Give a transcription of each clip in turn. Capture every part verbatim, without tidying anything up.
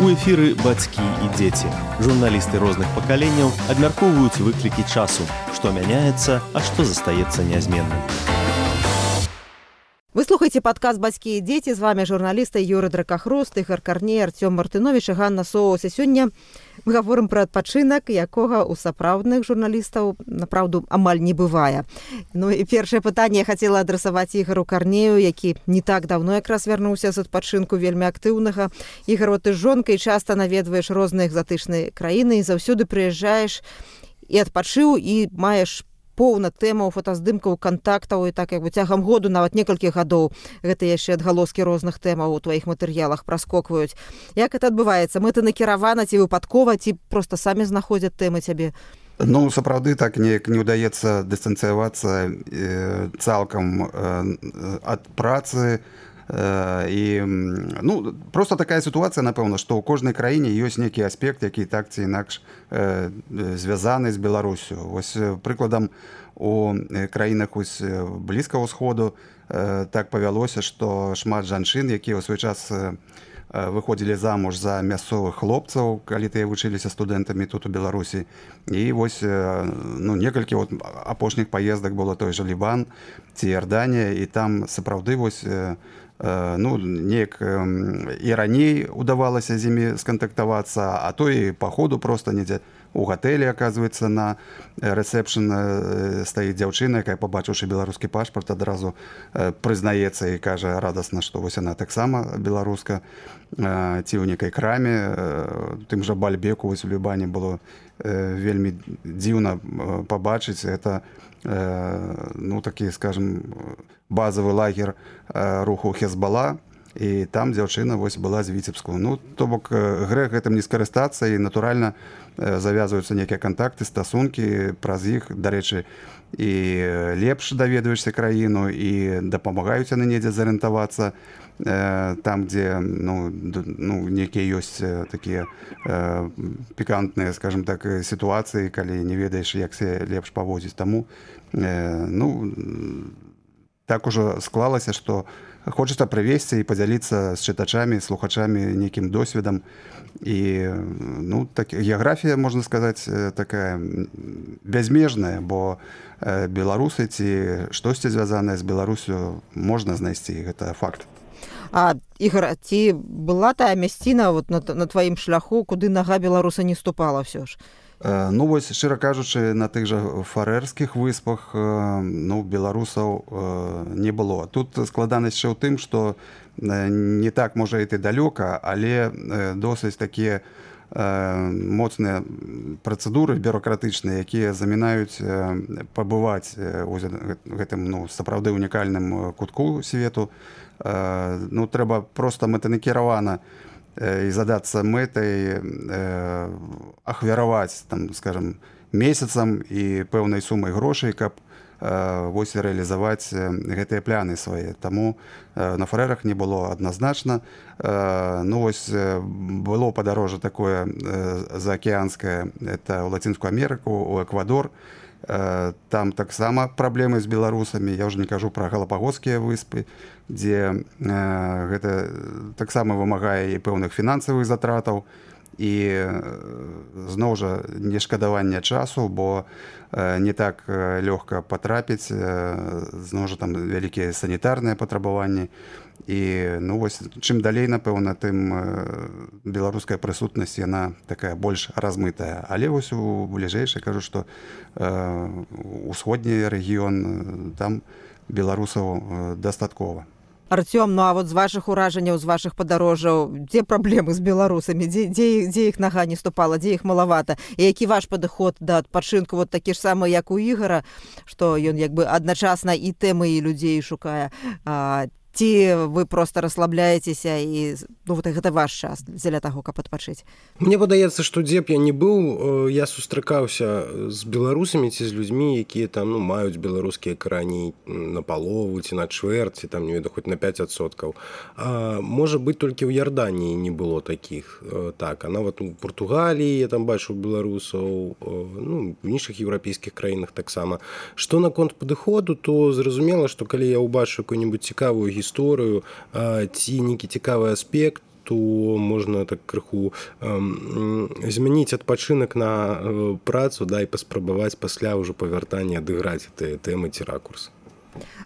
У эфіры бацькі і дзеці. Журналісты розных пакаленняў абмяркоўваюць выклікі часу, што мяняецца, а што застаецца нязменным. Вы слухаеце падкаст «Бацькі і дзеці». З вами журналісты Юры Дракахрост, Ігор Карней, Артём Мартынович і Ганна Соус. І сёння мы гаворым пра адпачынак, якога ў сапраўдных журналістаў, напраўду, амаль не бывае. Ну і першае пытанне я хацела адрасаваць Ігору Карнею, які не так даўно якраз вярнуўся з адпачынку вельмі актыўнага. Ігор, ты з жонкай часта наведваеш розныя экзатычныя краіны і заўсёды прыязджаеш і адпачыў, і маеш поўна тэмаў, фотаздымкаў, кантактаў, і так як бы цягам году, нават некалькіх гадоў, гэта яшчэ адгалоскі розных тэмаў у тваіх матэрыялах праскокваюць. Як гэта адбываецца? Мэта накіравана ці выпадкова, ці проста самі знаходзяць тэмы цябе? Ну, сапраўды, так неяк не ўдаецца дыстанцыявацца э, цалкам э, ад працы. І ну, просто такая сітуацыя, напэўна, што ў кожнай краіне ёсць нейкі аспект, які так ці інакш э, звязаны з Беларусю. Вось прыкладам, у краінах Блізкага ўсходу э, так павялося, што шмат жанчын, якія ў свой час э, выходзілі замуж за мясцовых хлопцаў, калі тыя вучыліся студэнтамі тут у Беларусі. І вось ну, некалькі вот, апошніх паездак было той жа Лібан ці Іорданія, і там сапраўды вось ну, неяк і раней удавалася з імі скантактавацца, а то і па ходу проста недзе у гатэлі, аказваецца, на рэсепшн стаіць дзяўчына, якая, пабачыўшы беларускі пашпарт, адразу прызнаецца і кажа радасна, што вось яна таксама беларуска, ці ў некай краме, тым жа Бальбеку вось у Лібане было вельмі дзіўна пабачыць. Гэта ну, такі, скажем, базавы лагер руху Хезбала, і там дзяўчына вось была з Віцебску. Ну, то бок грэх гэтым не скарыстацца, і натуральна завязваюцца нейкія кантакты, стасункі праз іх. Дарэчы, і лепш даведваешся краіну, і дапамагаюць яны недзе зарыентавацца там, дзе ну, ну, нейкія ёсць такія э, пікантныя, скажем так, сітуацыі, калі не ведаеш, як се лепш паводзіць. Таму э, ну, так ужо склалася, што хочацца прывесці і падзяліцца з чытачамі, слухачамі нейкім досведам. І ну, так, геаграфія, можна сказаць, такая бязмежная, бо беларусы ці штосьці звязанае з Беларусю можна знайсці, гэта факт. А, Ігор, ці была тая мясціна вот, на, на тваім шляху, куды нага беларуса не ступала ўсё ж? Ну, вось, шчыра кажучы, на тых жа фарэрскіх выспах ну, беларусаў не было. Тут складанасць яшчэ ў тым, што не так можа іти далёка, але досыць такія моцныя працэдуры бюрократычныя, якія замінаюць пабываць у гэтым ну, сапраўды унікальным кутку свету. Ну, трэба проста мэтанакіравана і задацца мэтай э, ахвяраваць, там, скажем, месяцам і пэўнай сумай грошай, каб э, вось рэалізаваць гэтыя пляны свае. Таму э, на фарэрах не было адназначна. Э, ну, вось было падарожжа такое э, заакеанскае, это ў Лацінскую Амерыку, у Эквадор. Э, там таксама праблемы з беларусамі. Я ўжо не кажу пра Галапагоскія выспы, дзе э, гэта таксама вымагае і пэўных фінансавых затратаў, і э, зноў жа нешкадавання часу, бо э, не так э, лёгка патрапіць, э, зноў жа там вялікія санітарныя патрабаванні. І ну, вось, чым далей, напэўна, тым э, беларуская прысутнасць, яна такая больш размытая. Але вось у бліжэйшай кажу, што э, усходні рэгіён, там беларусаў дастаткова. Артём, ну а вот з вашых уражанняў, з вашых падарожжаў, дзе праблемы з беларусамі, дзе, дзе, дзе іх нага не ступала, дзе іх малавата, і які ваш падыход да адпачынку, вот такі ж самы, як у Ігора, што ён як бы адначасна і тэмы, і людзей шукае, а, ці вы проста расслабляецеся і ну, вот гэта ваш час дзеля таго, каб адпачыць? Мне падаецца, што дзе б я не быў, я сустракаўся з беларусамі ці з людзьмі, якія там ну, маюць беларускія карані на палову ці на чвэрць, ці там не ведаю, хоць на пяць адсоткаў. А, можа быць, толькі ў Іорданіі не было такіх. Так, а нават у Партугаліі я там бачыў беларусаў, ну, в іншых еўрапейскіх краінах таксама. Што наконт падыходу, то зразумела, што калі я ўбачу какую-нибудь цікавую гісторыю ці нейкі цікавы аспект, то можна так крыху э, змяніць адпачынак на э, працу, да, і паспрабаваць пасля ўжо павяртання адыграць гэтыя тэмы ці ракурс.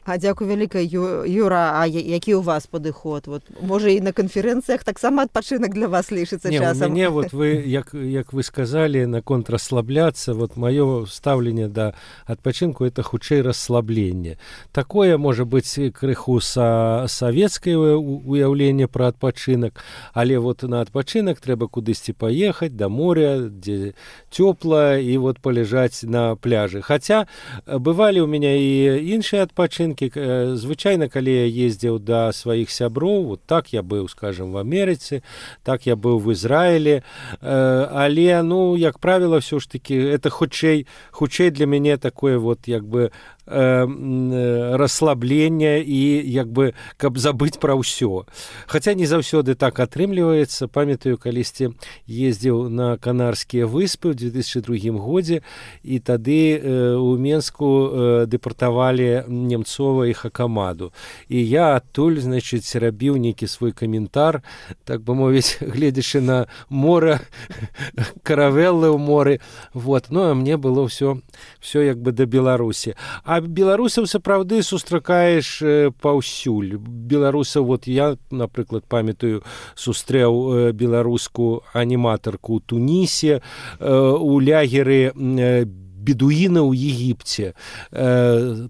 А дзякуй вялікая, Юра, а які у вас падыход? Вот, можа, і на канферэнцыях таксама адпачынак для вас лічыцца часам? Не, у мяне, вот вы, як, як вы сказали, наконт расслабляцца, вот маё стаўленне да адпачынку — это хутчэй расслабленне. Такое можа быць крыху са савецкае уяўленне пра адпачынак, але вот на адпачынак трэба кудысьці паехаць да моря, дзе цёпла, і вот паляжаць на пляжы. Хаця бывалі ў мяне і іншыя адпачынкі. Адпачынкі. Звычайна, калі я ездзіў да сваіх сяброў, вот так я быў, скажем, в Амерыцы, так я быў в Ізраілі, але, ну, як правіла, ўсё ж таки, это хутчэй, хутчэй для мяне такое вот, як бы, расслаблення і як бы каб забыць пра ўсё. Хаця не заўсёды так атрымліваецца. Памятаю, калісьці ездзіў на Канарскія выспы ў две тысячы другім годзе, і тады у Менску дэпартавалі Немцова і Хакамаду. І я адтуль, значыць, рабіў нейкі свой каментар, так бы мовіць, гледзячы на мора, каравеллы ў моры. Вот. Ну, а мне было ўсё, ўсё як бы да Беларусі. А беларусаў сапраўды сустракаеш паўсюль. Беларусаў, вот я, напрыклад, памятаю, сустрэў беларускую аніматарку ў Тунісе, у лягеры бедуіна ў Егіпце.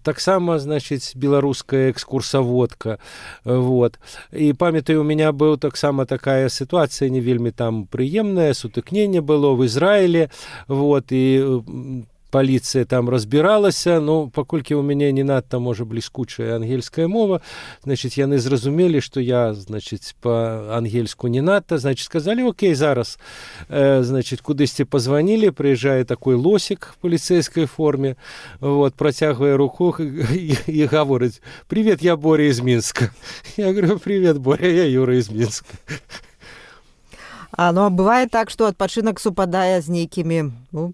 Таксама, значыць, беларуская экскурсаводка. Вот. І памятаю, у меня быў таксама такая сітуацыя не вельмі там прыемная, сутыкненне было в Ізраілі. Вот. І паліцыя там разбіралася, ну, паколькі ў мяне не надта, можа, бліскучая ангельская мова, значыць, яны зразумелі, што я, значыць, па-ангельску не надта, значыць, сказалі, окей, зараз, э, значыць, кудысьці пазванілі, прыязджае такой лосік в паліцэйскай форме, вот, працягвае руку і, і гаворыць: «Привет, я Боря из Минска». Я говорю: «Привет, Боря, я Юра из Минска». А, ну, а бывае так, што адпачынак супадае з нейкімі, ну,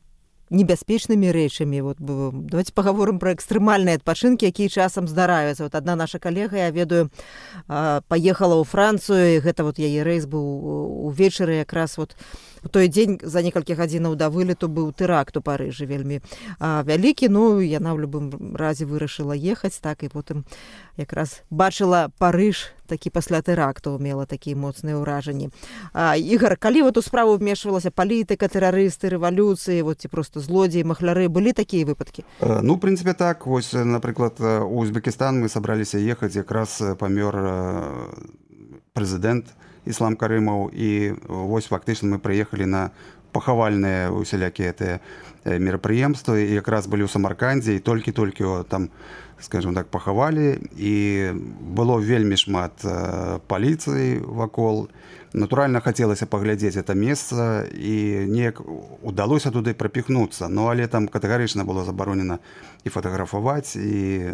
небяспечнымі рэчамі. Вот, давайте паговорым пра экстрэмальныя адпачынкі, якія часам здараюцца. Вот адна наша калега, я ведаю, паехала ў Францыю, і гэта вот яе рэйс быў увечары, якраз вот у той дзень за некалькі гадзінаў да вылету быў тэракт у Парыжы вельмі вялікі. Ну, яна ў любым разе вырашыла ехаць, так, і потым якраз бачыла Парыж такі пасля тэракту, мела такія моцныя ўражанні. А, Ігор, калі вот у справу вмешвалася палітыка, тэрарысты, рэвалюцыі, вот ці просто злодзеі, махляры, былі такія выпадкі? Ну, в прынцыпе, так. Вось, напрыклад, у Узбекістан мы сабраліся ехаць, якраз памёр прэзідэнт Іслам Карымаў, і вось фактычна мы прыехалі на пахавальныя усялякія гэтыя мерапрыемствы, і якраз былі ў Самаркандзе, і толькі-толькі там, скажем так, пахавалі, і было вельмі шмат паліцыі вакол. Натуральна, хацелася паглядзець гэта месца, і неяк удалося туды прапіхнуцца. Ну, але там катэгарычна было забаронена і фатаграфаваць, і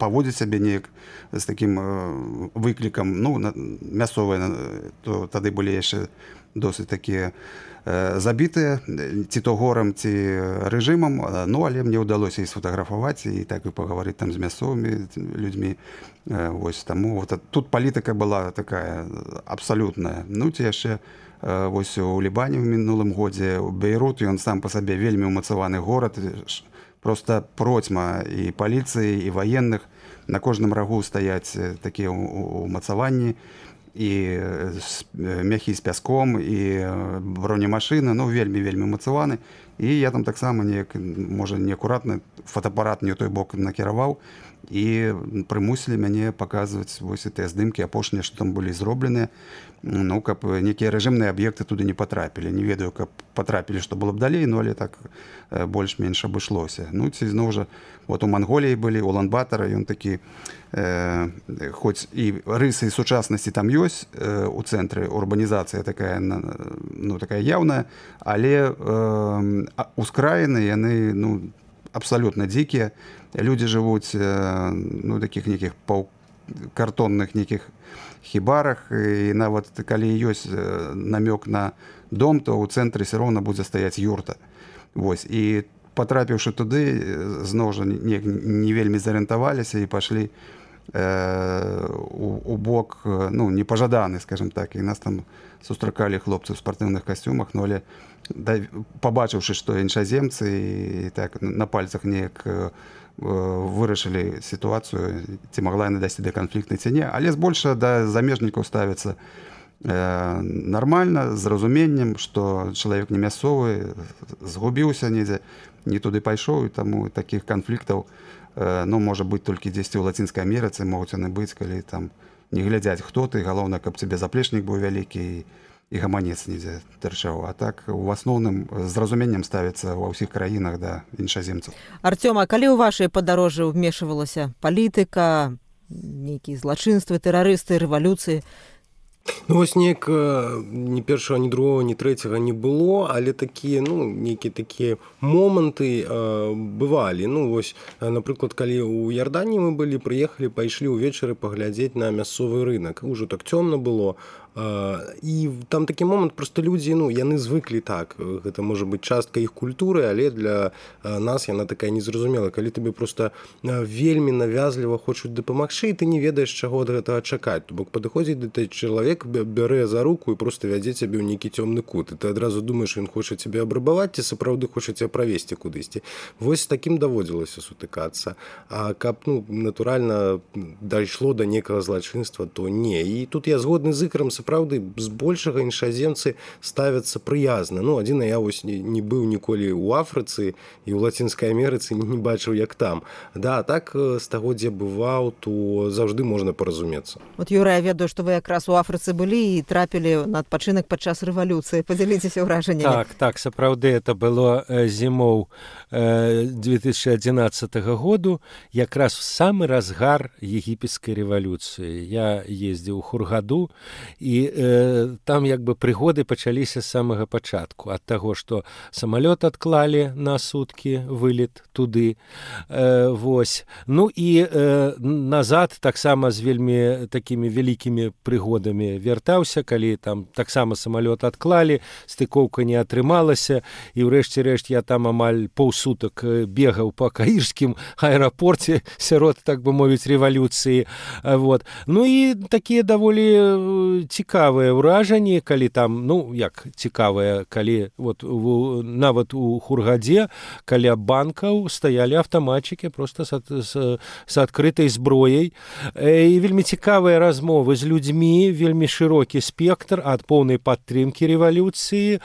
паводзіць сябе неяк з такім выклікам. Ну, мясцовыя, то тады былі яшчэ досыць такія забітыя, ці то горам, ці рэжымам. Ну, але мне ўдалося і сфотаграфаваць, і так і пагаварыць там з мясцовымі людзьмі. Вось, таму вот, тут палітыка была такая абсалютная. Ну, ці яшчэ вось у Лібане ў мінулым годзе, у Бейрут, ён сам па сабе вельмі ўмацаваны горад, проста процьма і паліцыі, і ваенных. На кожным рагу стаяць такія ўмацаванні, і мяхі з пяском, і бронемашыны, ну, вельмі-вельмі ўмацаваны. І я там таксама неяк, можа, неакуратна фотоапарат не ў той бок накіраваў, і прымусілі мяне паказваць вось гэтыя здымкі апошнія, што там былі зробленыя, ну, каб некія рэжымныя аб'екты туды не патрапілі. Не ведаю, каб патрапілі, што было б далей, ну, але так больш-менш абышлося. Ну, ці зноў жа, вот у Манголіі былі, Улан-Батара, ён такі, э, хоць і рысы сучаснасці там ёсць, э, у цэнтры урбанізацыя такая, ну, такая яўная, але э, ускраіны, яны, ну, абсалютна дзікія. Людзі жывуць, э, ну, такіх нейкіх картонных нейкіх хібарах, і нават калі ёсць намёк на дом, то ў цэнтры все роўна будзе стаяць юрта. Вось. І патрапіўшы туды, зноў жа не, не вельмі зарыентаваліся і пашлі э, у, у бок, ну, непажаданы, скажем так, і нас там сустракалі хлопцы ў спартыўных касцюмах, ну, але да, пабачыўшы, што іншаземцы і так на пальцах неяк э, вырашылі сітуацыю, ці магла яна дайсці да канфліктнай ці не, але збольша да замежнікаў ставіцца э, нармальна, з разуменнем, што чалавек не мясцовы, згубіўся недзе, не туды пайшоў, і таму такіх канфліктаў э, ну, можа быць толькі дзесьці ў Лацінскай Амерыцы, могуць яны быць, калі там не глядзяць, хто ты, галоўна, каб цябе заплечнік быў вялікі і, і гаманец недзе тырчаў. А так у асноўным з разуменнем ставіцца ва ўсіх краінах да іншаземцаў. Артём, а калі ў вашай падарожжы ўмешвалася палітыка, нейкія злачынствы, тэрарысты, рэвалюцыі? Ну, вось неяк ні першага, ні другога, ні трэцяга не было, але такія, ну, нейкія такія моманты э, бывалі. Ну, вось, напрыклад, калі ў Ярдані мы былі, прыехалі, пайшлі ўвечары паглядзець на мясцовы рынок. Ужо так цёмна было. І там такі момант, проста людзі, ну, яны звыклі так, гэта можа быць частка іх культуры, але для нас яна такая незразумела, калі тебе проста вельмі навязліва хочуць дапамагчы, і ты не ведаеш, чаго ад гэтага чакаць. То бок падыходзіць да той чалавек, бярэ за руку і проста вядзе цябе ў нейкі цёмны кут, і ты адразу думаеш, ён хоча цябе абрабаваць, ці сапраўды хоча цябе правесці кудысьці. Вось з такім даводзілася сутыкацца. А каб, ну, натуральна дайшло да некага злачынства, то не. І тут я згодны з Ікарам, сапраўды, збольшага іншаземцы ставяцца прыязна. Ну, адзіна, я вось не, не быў ніколі ў Афрыцы і ў Лацінскай Амерыцы не, не бачыў, як там. Да, так, з таго, дзе бываў, то заўжды можна паразумецца. Вот, Юра, я ведаю, што вы якраз у Афрыцы былі і трапілі на адпачынак падчас рэвалюцыі. Падзяліцеся ўражаннямі. Так, так, сапраўды, это было зімоў две тысячи адзінаццатага году, якраз в самы разгар егіпецкай рэвалюцыі. Я ездзіў у Хургаду, і э, там як бы прыгоды пачаліся з самага пачатку, ад таго, што самалёт адклалі на суткі, вылет туды. Э, вось. Ну і э, назад таксама з вельмі такімі вялікімі прыгодамі вяртаўся, калі там таксама самалёт адклалі, стыкоўка не атрымалася, і ўрэшце рэшт я там амаль паўсутак бегаў па каірскім аэрапорце сярод, так бы мовіць, рэвалюцыі. Вот. Ну і такія даволі цікавыя ўражанні, калі там, ну, як цікавыя, калі вот у, нават у Хургадзе каля банкаў стаялі аўтаматчыкі проста з, з, з адкрытай зброяй. І вельмі цікавыя размовы з людзьмі, вельмі шырокі спектр ад поўнай падтрымкі рэвалюцыі,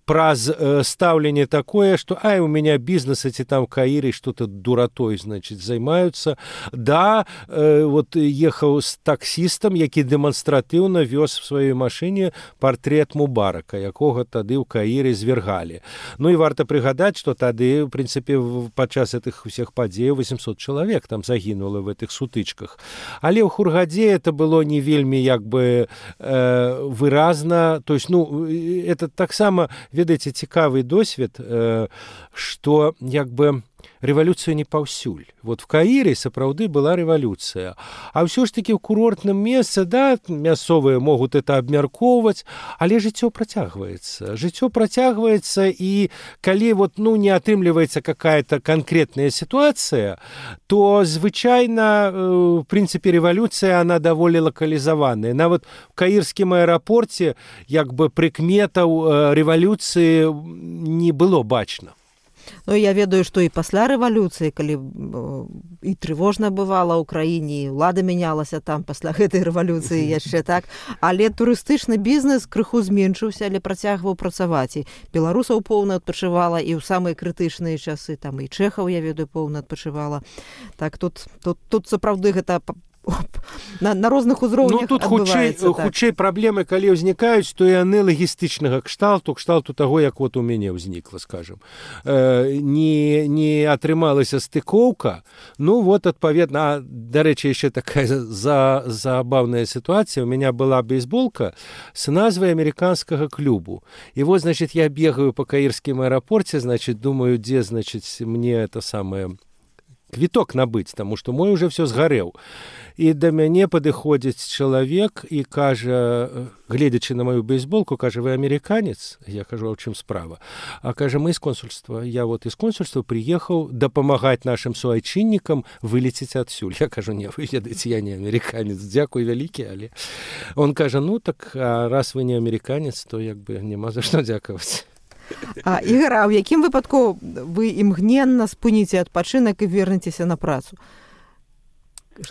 праз э, стаўленне такое, што ай, у меня бізнесы ці там Каіры што-то дуратой, значит, займаюцца. Да, э, вот ехаў з таксістам, які дэманстратыўна вёз в сваёй машыне партрэт Мубарака, якога тады ў Каіры звергалі. Ну і варта прыгадаць, што тады, в прынцыпе, падчас гэтых усіх падзеяў восемьсот чалавек там загінула в гэтых сутычках. Але ў Хургадзе это было не вельмі як бы э, выразна. То есть, ну, это таксама, ведаеце, цікавы досвед, э, што як бы рэвалюцыя не паўсюль. Вот в Каіры сапраўды была рэвалюцыя. А ўсё ж такі ў курортным месцы, да, мясцовыя могуць это абмяркоўваць, але жыццё працягваецца. Жыццё працягваецца, і калі вот, ну, не атрымліваецца какая-то конкретная ситуация, то звычайна, в прынцыпе, рэвалюцыя, она даволі лакалізаваная. Нават в каірскім аэрапорце як бы прыкметаў рэвалюцыі не было бачна. Ну, я ведаю, што і пасля рэвалюцыі, калі і трывожна бывала ў краіне, і ўлада мянялася там пасля гэтай рэвалюцыі яшчэ так, але турыстычны бізнес крыху зменшыўся, але працягваў працаваць. І беларусаў поўна адпачывала, і ў самыя крытычныя часы, там і чэхаў, я ведаю, поўна адпачывала. Так, тут, тут, тут сапраўды гэта на, на розных узроўнях адбываецца. Ну, тут хутчэй, так. хутчэй праблемы, калі ўзнікаюць, то яны лагістычнага кшталту, кшталту таго, як вот у мяне ўзнікла, скажем. Э, не, не атрымалася стыкоўка, ну вот, адпаведна, а, дарэчы, яшчэ такая за, забавная ситуація. У меня была бейсболка с назвай американскага клубу. И вот, значит, я бегаю по каірскім аэрапорце, значит, думаю, где, значит, мне это самое... квіток набыць, таму што мой уже все згарэў. І да мяне падыходзіць чалавек і кажа, гледзячы на мою бейсболку, кажа, вы амерыканец? Я кажу, а ў чым справа? А кажа, мы з консульства. Я вот из консульства приехаў дапамагаць нашим суайчыннікам вылецець адсюль. Я кажу, не, вы ведаеце, я не амерыканец, дзякуй вялікі, але... Он кажа, ну так, а раз вы не амерыканец, то як бы няма за што дзякаваць. А, Ігор, а ў якім выпадку вы імгненна спыніце адпачынак і вернецеся на працу?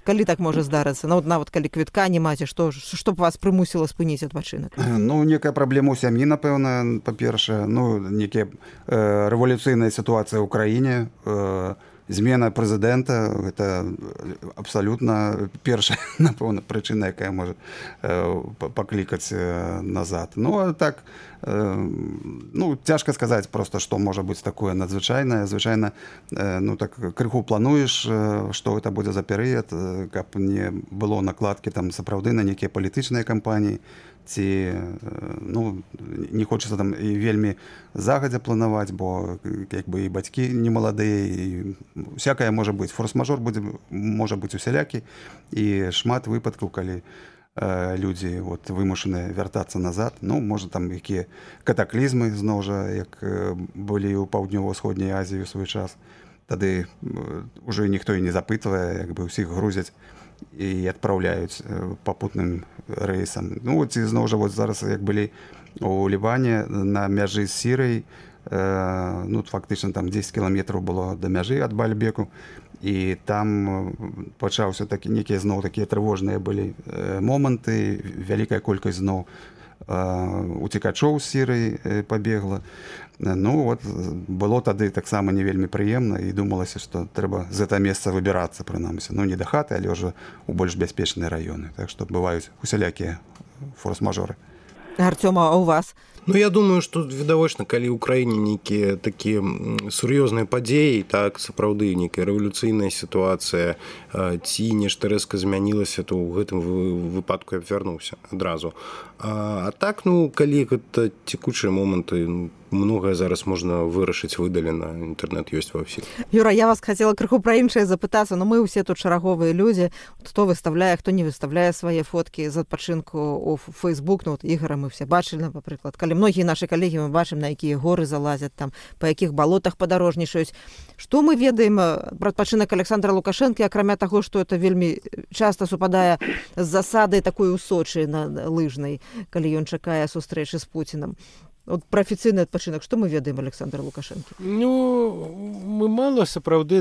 Калі так можа здарыцца? Ну, нават калі квітка не маце, што, што б вас прымусіла спыніць адпачынак? Ну, некая праблема ў сям'і, напэўна, па-першае. Ну, некая э, рэвалюцыйная сітуацыя ў краіне, э, змена прэзідэнта, гэта абсалютна першая, напэўна, прычына, якая можа э, паклікаць э, назад. Ну, а так, э, ну, цяжка сказаць проста, што можа быць такое надзвычайнае. Звычайна, э, ну, так, крыху плануеш, э, што гэта будзе за перыяд, э, каб не было накладкі там сапраўды на нейкія палітычныя кампаніі, ці, ну, не хочацца там і вельмі загадзя планаваць, бо як бы і бацькі не маладыя, і всякае можа быць. Форс-мажор будзе, можа быць усялякі, і шмат выпадкаў, калі э, людзі вот, вымушаныя вяртацца назад. Ну, можа, там якія катаклізмы, зноў жа, як э, былі ў паўднёва-ўсходняй Азіі ў свой час. Тады э, ўжо ніхто і не запытвае, як бы ўсіх грузяць і адпраўляюць папутным рэйсам. Ну, ці зноў жа, вот зараз, як былі у Ліване на мяжы з Сірыяй, э, ну, фактычна там дзесяць кіламетраў было да мяжы ад Бальбеку, і там пачаўся такі, некія зноў такія трывожныя былі э, моманты, вялікая колькасць зноў э, уцекачоў з Сірыі э, пабегла. Ну, вот, было тады таксама не вельмі прыемна, і думалася, што трэба з гэта месца выбірацца, прынамсі. Ну, не да хаты, але ўжо ў больш бяспечныя раёны. Так што бываюць усялякія форс-мажоры. Артёма, а у вас? Ну, я думаю, што відавочна, калі ў краіне нейкія такія сур'ёзныя падзеі, так, сапраўды, нейкая рэвалюцыйная сітуацыя, ці нешта рэзка змянілася, то ў гэтым выпадку я б вярнуўся адразу. А, а так, ну, калі гэта цекучыя моманты, многае зараз можна вырашыць выдалена, інтэрнэт ёсць ва ўсіх. Юра, я вас хацела крыху пра іншае запытацца, но мы ўсе тут шараговыя людзі, хто выставляе, хто не выставляе свае фоткі з адпачынку ў Фейсбук. Ну, вот Ігора мы все бачылі, напрыклад, калі многія нашы калегі мы бачым, на якія горы залазяць, там, па якіх балотах падарожнічаюць. Што мы ведаем пра адпачынак Александра Лукашэнкі, акрамя таго, што это вельмі часта супадае з засадай такой у Сочы на лыжнай, калі ён чакае сустрэчы з Пуцінам. Вот про афіцыйны адпачынак, што мы ведаем Александра Лукашэнкі? Ну, мы мала сапраўды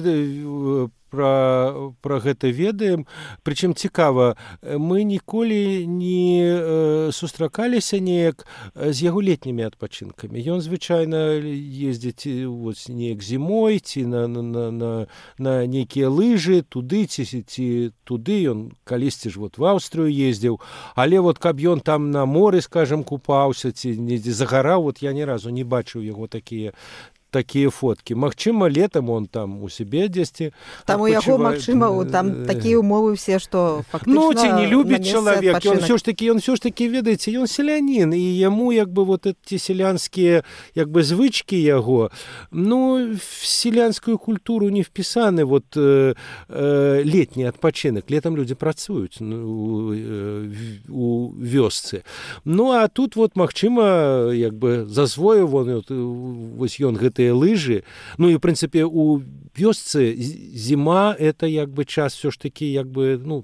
пра, пра гэта ведаем. Прычым цікава, мы ніколі не сустракаліся неяк з яго летнімі адпачынкамі. Ён звычайна ездзіць вот, неяк зімой, ці на, на, на, на нейкія лыжы, туды, ці, ці туды. Ён калісьці ж вот в Аўстрыю ездзіў. Але вот каб ён там на моры, скажем, купаўся, ці недзе загараў, вот я ні разу не бачыў яго такія такія фоткі. Магчыма, летам он там у сябе дзесьці. Там у яго, магчыма, там такія умовы все, што фактычна... Ну, ці не любіць чалавек. Ён все ж такі, ён все ж такі, ведаеце, ён селянін, і яму, як бы, вот эти селянскія, як бы, звычкі яго, ну, в селянскую культуру не впісаны, вот, э, э, летні адпачынак. Летам людзі працуюць ну, э, у вёсцы. Ну, а тут, вот, магчыма, як бы, засвоіў, вот, вось ён гэты лыжы. Ну і, в прынцыпе, у вёсцы зіма — это як бы час все ж таки, як бы, ну,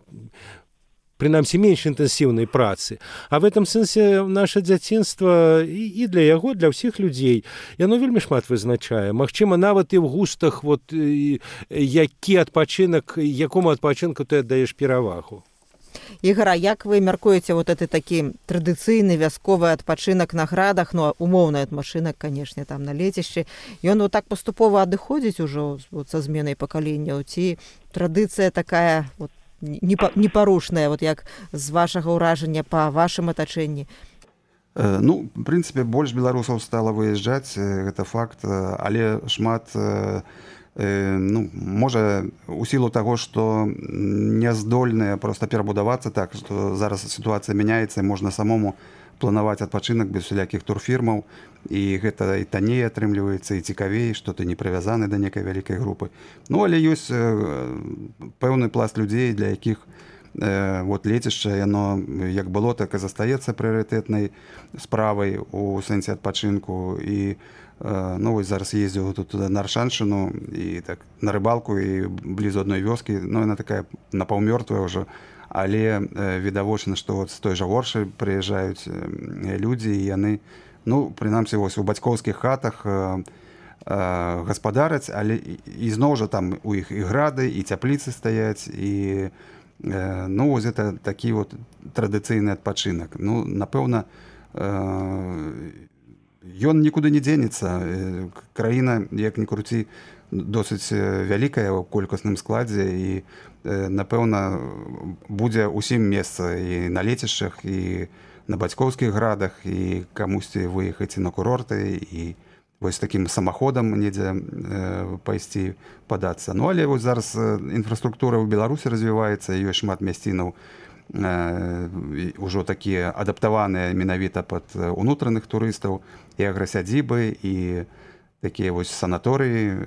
прынамсі, менш інтэнсіўнай працы. А в этом сэнсе наша дзяцінства і, і для яго, для ўсіх людзей, яно вельмі шмат вызначае. Магчыма, нават і ў густах, вот, які адпачынак, якому адпачынку ты аддаеш перавагу. Ігора, як вы мяркуеце вот это такі традыцыйны вясковы адпачынак на градах, ну, умоўны адпачынак, канешне, там на лецішчы, ён вот так паступова адыходзіць ужо вот, са зменай пакаленняў, ці традыцыя такая вот, непарушная, вот як з вашага ўражання па вашым атачэнні? Ну, в прынцыпе, больш беларусаў стала выязджаць, гэта факт, але шмат... Ну, можа, у сілу таго, што не здольныя проста перабудавацца так, што зараз сітуацыя мяняецца, можна самому планаваць адпачынак без усялякіх турфірмаў, і гэта і танней атрымліваецца, і цікавей, што ты не прывязаны да некай вялікай групы. Ну, але ёсць пэўны пласт людзей, для якіх э, вот лецішча, яно як было, так і застаецца прыярытэтнай справай у сэнсе адпачынку. І э, ну, вось зараз ездзіў тут на Аршаншыну і так на рыбалку, і блізу адной вёскі, ну, яна такая напаўмёртвая ўжо, але э, відавочна, што вот з той жа Оршы прыязджаюць э, людзі, і яны, ну, прынамсі, вось у бацькоўскіх хатах э, э, гаспадараць, але і, і зноў жа там у іх і грады, і цяпліцы стаяць, і э, ну, вось гэта такі вот традыцыйны адпачынак. Ну, напэўна, э, ён нікуды не дзенецца. Краіна, як ні круці, досыць вялікая ў колькасным складзе, і напэўна будзе ўсім месца і на лецішчах, і на бацькоўскіх градах, і камусьці выехаць на курорты, і вось такім самаходам недзе э, пайсці падацца. Ну, але вось зараз інфраструктура ў Беларусі развіваецца, ёсць шмат мясцінаў э, ўжо такія адаптаваныя менавіта пад унутраных турыстаў, і аграсядзібы, і такія вось санаторыі,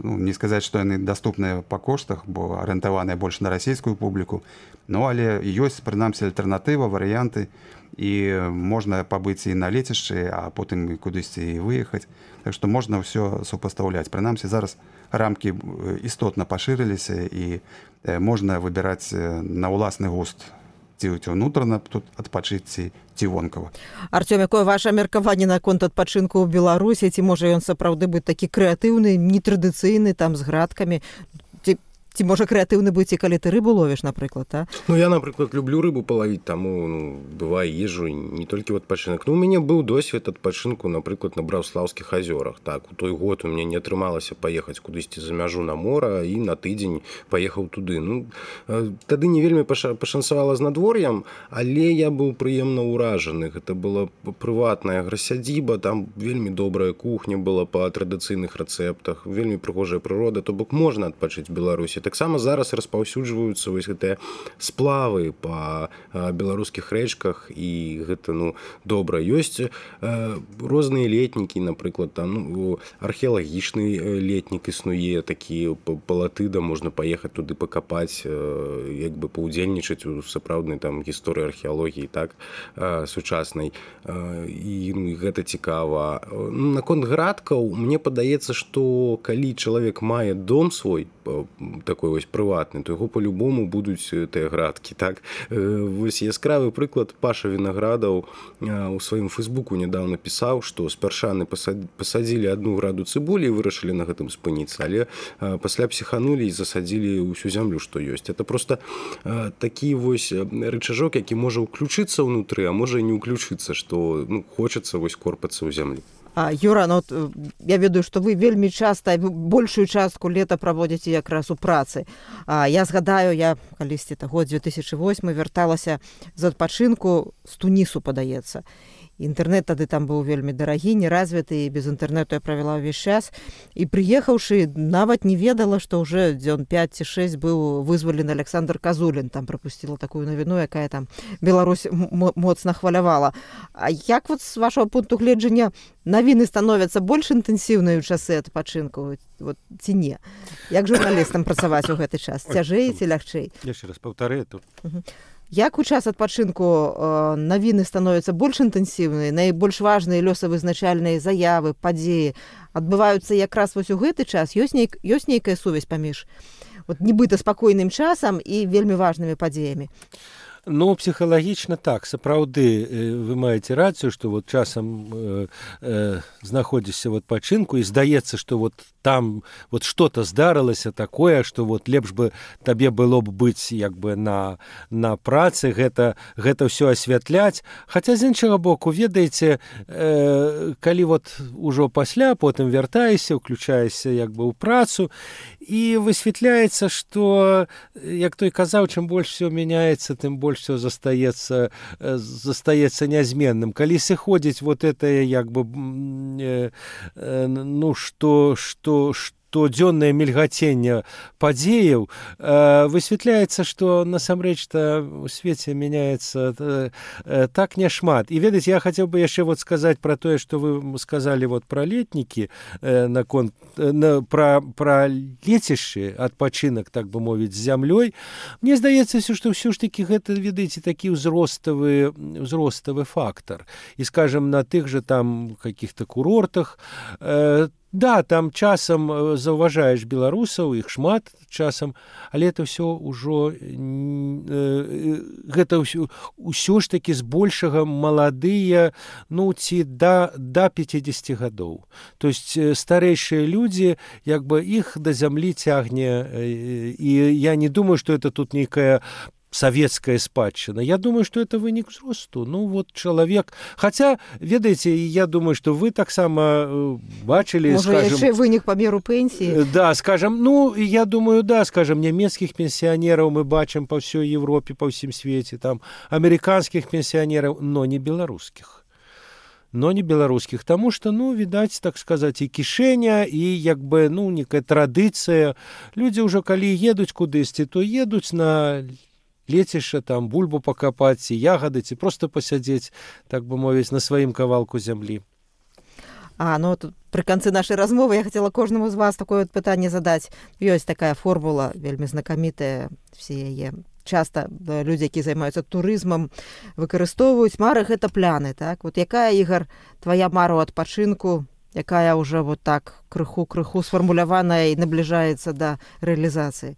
ну, не сказаць, што яны даступныя па коштах, бо арыентаваныя больш на расійскую публіку, ну, але ёсць, прынамсі, альтэрнатыва, варыянты, і можна пабыць і на лецішчы, а потым кудысьці і выехаць. Так што можна ўсё супастаўляць. Прынамсі, зараз рамкі істотна пашырыліся, і можна выбіраць на ўласны густ, ці ўнутрана тут адпачыць, ці ці вонкава. Артём, якое ваше меркаванне наконт адпачынку ў Беларусі? Ці можа ён сапраўды быць такі крэатыўны, нетрадыцыйны, там з градкамі? Ці, ці можа крэатыўны быць і калі ты рыбу ловіш, напрыклад, а? Ну, я, напрыклад, люблю рыбу палавіць, таму, ну, бывае, езжу не толькі ў адпачынак. Ну, у мяне быў досвед адпачынку, напрыклад, на Браўслаўскіх азёрах. Так, у той год у мяне не атрымалася паехаць кудысьці за мяжу на мора, і на тыдзень паехаў туды. Ну, тады не вельмі пашанцавала з надвор'ем, але я быў прыемна ўражаны. Гэта была прыватная аграсядзіба, там вельмі добрая кухня была па традыцыйных рэцэптах, вельмі прыгожая прырода, то бок можна адпачыць в Беларусі. Таксама зараз распаўсюджваюцца вось гэтыя сплавы па беларускіх рэчках, і гэта, ну, добра. Ёсць э, розныя летнікі, напрыклад, там, ну, археалагічны летнік існуе, такі палатыда, можна паехаць туды пакапаць, э, як бы паўдзельнічаць у сапраўднай там гісторыі археалогіі, так, э, сучаснай. Э, і, ну, гэта цікава. Наконт градкаў, мне падаецца, што калі чалавек мае дом свой, такой вось прыватны, то яго по-любому будуць тыя градкі, так. Вось яскравы прыклад: Паша Вінаградаў у сваім фэйсбуку нядаўна пісаў, што спярша пасадзілі адну граду цыбулі і вырашылі на гэтым спыніцца, але пасля псіханулі і засадзілі ўсю зямлю, што ёсць. Это просто такі вось рычажок, які можа ўключыцца ўнутры, а можа і не ўключыцца, што, ну, хочацца вось корпацца ў зямлі. А, Юра, ну, от, я ведаю, што вы вельмі часта, большую частку лета праводзіце якраз у працы. А, я згадаю, я калісьці год две тысячи восьмы вярталася з адпачынку з Тунісу, падаецца. Інтэрнэт тады там быў вельмі дарагі, неразвіты, і без інтэрнэту я правяла ўвесь час. І прыехаўшы, нават не ведала, што ўжо дзён пяць ці шэсць быў вызвалены Александр Казулін. Там прапусціла такую навіну, якая там Беларусь моцна хвалявала. А як вот з вашого пункту гледжання навіны становяцца больш інтэнсіўныя ў часы адпачынку, вот, ці не? Як журналістам працаваць у гэты час? Цяжэй ці лягчэй? Яшчэ раз паўтары тут. Угу. Як у час адпачынку э, навіны становяцца больш інтэнсіўныя, найбольш важныя лёсавызначальныя заявы, падзеі адбываюцца якраз вось у гэты час? Ёсць, нейк, ёсць нейкая сувязь паміж вот, нібыта спакойным часам і вельмі важнымі падзеямі? Ну, псіхалагічна так, сапраўды вы маеце рацыю, што вот часам э, э, знаходзішся в адпачынку і здаецца, што вот там вот что-то здарылася такое, што вот лепш бы табе было б быць як бы на, на працы, гэта, гэта ўсё асвятляць. Хаця з іншага боку, ведаеце, э, калі вот ужо пасля потым вяртаешся, уключаешся як бы ў працу, і высвятляецца, што, як той казаў, чым больш все мяняецца, тым больш все застаецца, застаецца нязменным. Калі сыходзіць вот это, як бы, э, э, ну, што, што, што штодзённае мільгаценне падзеяў, высвятляецца, што насамрэч-то у свеце мяняецца так няшмат. І ведаць, я хацеў бы яшчэ вот сказаць пра тое, што вы сказалі вот пра летнікі, наконт на, пра, пра лецішчы, адпачынак, так бы мовіць, з зямлёй. Мне здаецца, што ўсё ж такі гэта, ведаеце, такі ўзроставы, ўзроставы фактар. І, скажем, на тых жа там каких-то курортах, э, да, там часам заўважаеш беларусаў, іх шмат часам, але это ўсё ўжо э, гэта ўсё, ўсё ж такі збольшага маладыя, ну, ці да, да пяцідзесяці гадоў. То есть старэйшыя людзі, як бы іх да зямлі цягне, э, і я не думаю, што это тут нейкая советская спадчына. Я думаю, что это вынік узросту. Ну, вот человек... Хотя, ведаеце, я думаю, что вы таксама бачили, Может, скажем... яшчэ вынік по меру пенсии? Да, скажем, ну, я думаю, да, скажем, немецких пенсионеров мы бачим по всей Европе, по всем свете, там, американских пенсионеров, но не белорусских. но не беларускіх, таму што, ну, відаць, так сказаць, і кішэня, і як бы, ну, некая традыцыя. Людзі ўжо калі едуць кудысьці, то едуць на лецішча, там бульбу пакапаць, ці ягады, ці проста пасядзець, так бы мовіць, на сваім кавалку зямлі. А, ну, тут пры канцы нашай размовы я хацела кожнаму з вас такое вот пытанне задаць. Ёсць такая формула, вельмі знакамітая, все яе часта людзі, які займаюцца турызмам, выкарыстоўваюць. Мары — гэта пляны, так? Вот якая, Ігар, твоя мара ў адпачынку, якая ўжо вот так крыху-крыху сфармуляваная і набліжаецца да рэалізацыі?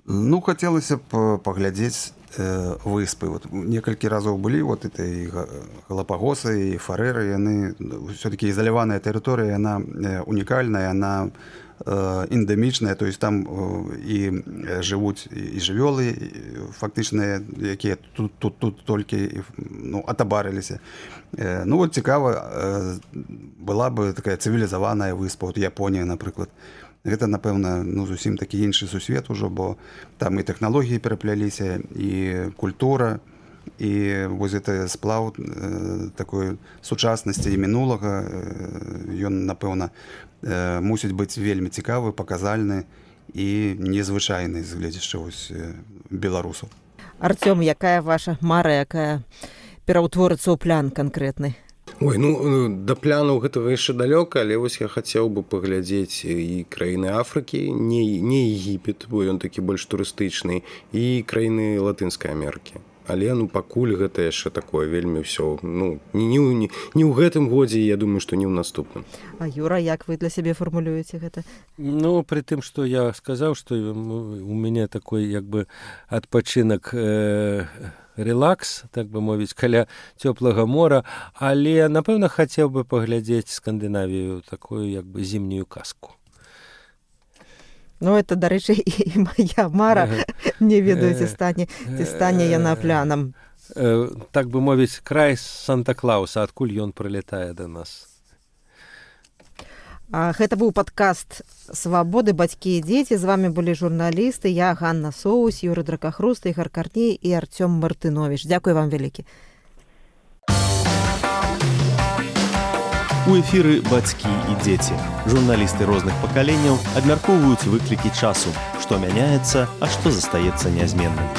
Ну, хацелася б паглядзець э, выспы. Вот некалькі разоў былі вот это і Галапагосы, і Фарэры, яны все-таки изоляваная тэрыторыя, яна унікальная, яна э, эндэмічная, то есть там э, і жывуць і жывёлы фактычныя, якія тут, тут, тут толькі ну, атабарыліся. Э, ну вот цікава, э, была бы такая цывілізаваная выспа, вот Японія, напрыклад. Гэта, напэўна, ну, зусім такі іншы сусвет ужо, бо там і тэхналогіі перапляліся, і культура, і вось гэта сплаў э, такой сучаснасці і мінулага, э, ён, напэўна, э, мусіць быць вельмі цікавы, паказальны і незвычайны з гледзяча вось э, беларусаў. Артём, якая ваша мара, якая пераўтворыцца ў плян канкрэтны? Ой, ну, да плянаў гэтага яшчэ далёка, але вось я хацеў бы паглядзець і краіны Афрыкі, не, не Егіпет, бо ён такі больш турыстычны, і краіны Латынскай Амерыкі. Але, ну, пакуль гэта яшчэ такое вельмі ўсё, ну, не, не, не ў гэтым годзе, я думаю, што не ў наступным. А, Юра, як вы для сябе фармулюеце гэта? Ну, при тым, што я сказаў, што у мяне такой, як бы, адпачынак э, релакс, так бы мовіць, каля цёплага мора, але, напэўна, хацеў бы паглядзець Скандынавію, такую, як бы, зімнюю казку. Ну, это, дарэчы, і моя мара, не ведаю, ці стане, ці стане яна плянам. Так бы мовіць, край Санта-Клауса, адкуль ён прылетае да нас. А, гэта быў падкаст «Свабоды, бацькі і дзеці». З вами былі журналісты, я, Ганна Соус, Юры Дракахруст, Ігар Карней і Артём Мартынович. Дзякуй вам вялікі. У эфіры «Бацькі і дзеці». Журналісты розных пакаленняў абмяркоўваюць выклікі часу, што мяняецца, а што застаецца нязменным.